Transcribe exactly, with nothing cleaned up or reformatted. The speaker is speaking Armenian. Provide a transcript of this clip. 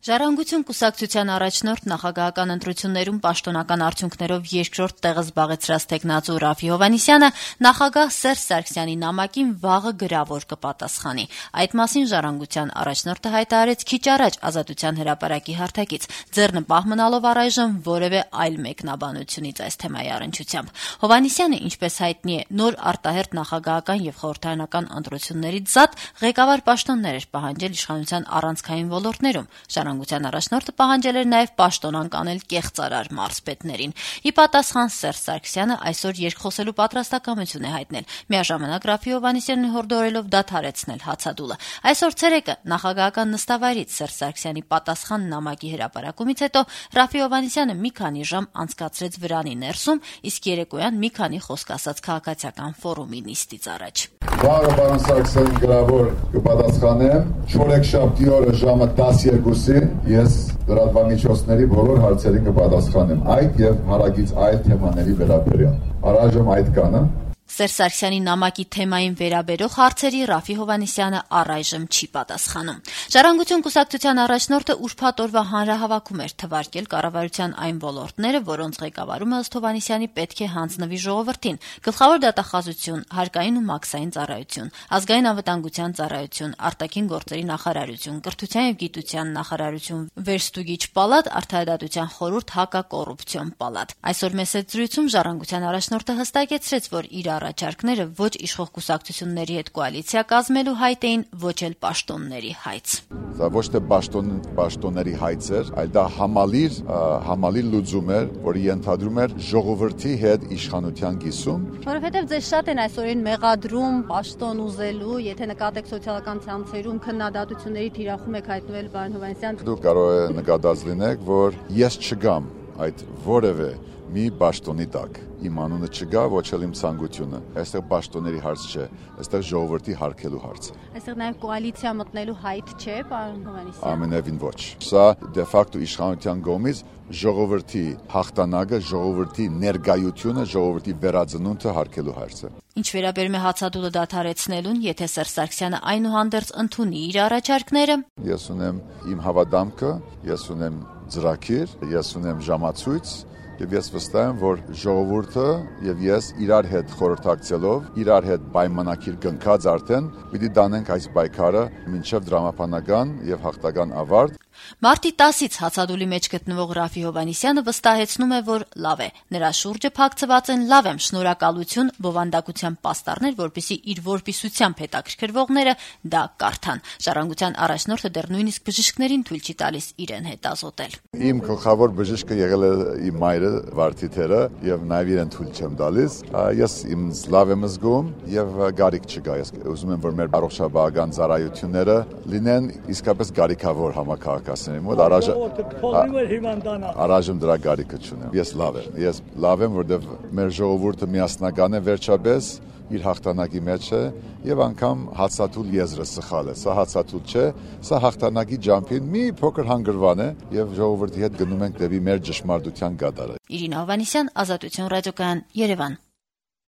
Ժառանգություն կուսակցության առաջնորդ նախագահական ընտրություններում պաշտոնական արդյունքներով երկրորդ տեղը զբաղեցրած տեխնացու Ռաֆի Հովհաննիսյանը նախագահ Սերժ Սարգսյանի նամակին վաղը գրավոր կպատասխանի։ Այդ մասին Ժառանգության առաջնորդը հայտարարեց քիչ առաջ Ազատության հրապարակի հարթակից, ձեռնպահ մնալով առայժմ որևէ այլ մեկնաբանությունից այս թեմայի առնչությամբ։ Հովհաննիսյանը, ինչպես հայտնի է, նոր արտահերթ նախագահական եւ խորհրդարանական ընտրություններից զատ ղեկավար պաշտոններ էր պահանջել իշխանության առանցքային ոլորտներում։ Ժառանգության առաջնորդը պահանջել էր նաև պաշտոնանկ անել կեղծարար մարզպետներին։ Ի պատասխան Սերժ Սարգսյանը այսօր երկխոսելու պատրաստակամություն է հայտնել, միաժամանակ Ռաֆի Հովհաննիսյանին հորդորելով դադարեցնել հացադուլը։ Այսօր ցերեկը նախագահական նստավայրից Սերժ Սարգսյանի պատասխան նամակի հրապարակումից հետո Ռաֆի Հովհաննիսյանը մի քանի ժամ անցկացրեց վրանի ներսում, իսկ երեկոյան մի քանի խոսք ասաց քաղաքացիական ֆորումի նիստից առաջ։ Վաղը պարոն Սարգսյանին գրավոր կպատասխանեմ, չորեքշաբթի օրը ժամը տասներկուսին ես լրատվամիջոցների բոլոր հարցերին կպատասխանեմ այդ եւ հարակից այլ թեմաների վերաբերյալ։ Առայժմ այդ կանը։ Սերժ Սարգսյանի նամակի թեմային վերաբերող հարցերի Ռաֆի Հովհաննիսյանը առայժմ չի պատասխանում։ Ժառանգություն կուսակցության առաջնորդը ուրբաթ օրվա հանրահավաքում էր թվարկել կառավարության այն ոլորտները, որոնց ղեկավարումը ըստ Հովհաննիսյանի պետք է հանձնվի ժողովրդին՝ գլխավոր դատախազություն, հարկային ու մաքսային ծառայություն, ազգային անվտանգության ծառայություն, արտաքին գործերի նախարարություն, կրթության եւ գիտության նախարարություն, վերստուգիչ պալատ, արդարադատության խորհուրդ, հակակոռուպցիոն պալատ։ Այսօր մեծ զրույցում Ժառանգության առաջնորդը հստակեցրեց, որ իր առաջարկները ոչ իշխող կուսակցությունների հետ կոալիցիա կազմելու հայտ էին, ոչ էլ պաշտոնների հայց։ Դա ոչ թե պաշտոն պաշտոնների հայց էր, այլ դա համալիր համալիր լուծում էր, որը ենթադրում էր ժողովրդի հետ իշխանության կիսում։ Որովհետև ձեզ շատ են այսօրին մեղադրում պաշտոն ուզելու, եթե նկատեք սոցիալական ցանցերում քննադատությունների թիրախում եք հայտնվել, պարոն Հովհաննիսյան։ Դուք կարող եք նկատած լինեք, որ ես չգամ այդ որևէ մի պաշտոնի տակ։ Իմ անունը չգա, ոչ էլ իմ ցանկությունը։ Այստեղ պաշտոնների հարց չէ, այստեղ ժողովրդի հարկելու հարց է։ Այստեղ նաև կոալիցիա մտնելու հայտ չէ, պարոն Հովհաննիսյան։ Ամենևին ոչ։ Սա դե ֆակտո իշխանության կողմից ժողովրդի հաղթանակը, ժողովրդի ներկայությունը, ժողովրդի վերածնունդը հարկելու հարց է։ Ինչ վերաբերում է հացադուլը դադարեցնելուն, եթե Սերժ Սարգսյանը այնուհանդերձ ընդունի իր առաջարկները։ Ես ունեմ իմ հավատամքը, ես ունեմ ծրագիր, ես ունեմ ժամացույց եւ ես վստահ եմ, որ ժողովուրդը եւ ես իրար հետ խորհրդակցելով, իրար հետ պայմանագիր կնքած արդեն պիտի դանենք այս պայքարը մինչեւ դրամապանական եւ հաղթական ավարտ։ Մարտի տասից հացադուլի մեջ գտնվող Ռաֆի Հովհաննիսյանը վստահեցնում է, որ լավ է։ Նրա շուրջը փակցված են լավ եմ, շնորհակալություն, բովանդակության պաստառներ, որպեսզի իր որպիսությամբ հետաքրքրվողները դա կարդան։ Ժառանգության առաջնորդը դեռ նույնիսկ բժիշկներին թույլ չի տալիս իրեն հետազոտել։ Իմ գլխավոր բժիշկը եղել է իմ մայրը Վարդիթերը եւ նաեւ իրեն թույլ չեմ տալիս։ Ես իմ լավ եմ զգում եւ գարիք չկա։ Ես ուզում եմ, որ մեր առողջապահական ծառայությունները լինեն իսկապես գարիքավոր համակարգացնեն։ Մոտ առայժմ դրա գարիքը չունեմ։ Ես լավ եմ։ Ես լավ եմ, որովհետեւ մեր ժողովուրդը միասնական է վերջապես իր հաղթանակի մեջ է եւ անգամ հացատուլ եզրը սխալ է։ Սա հացատուլ չէ, սա հաղթանակի ջամփին մի փոքր հանգրվան է եւ ժողովրդի հետ գնում ենք դեպի մեր ճշմարտության գադարը։ Իրինա Հովհաննիսյան, Ազատություն ռադիոկայան, Երևան։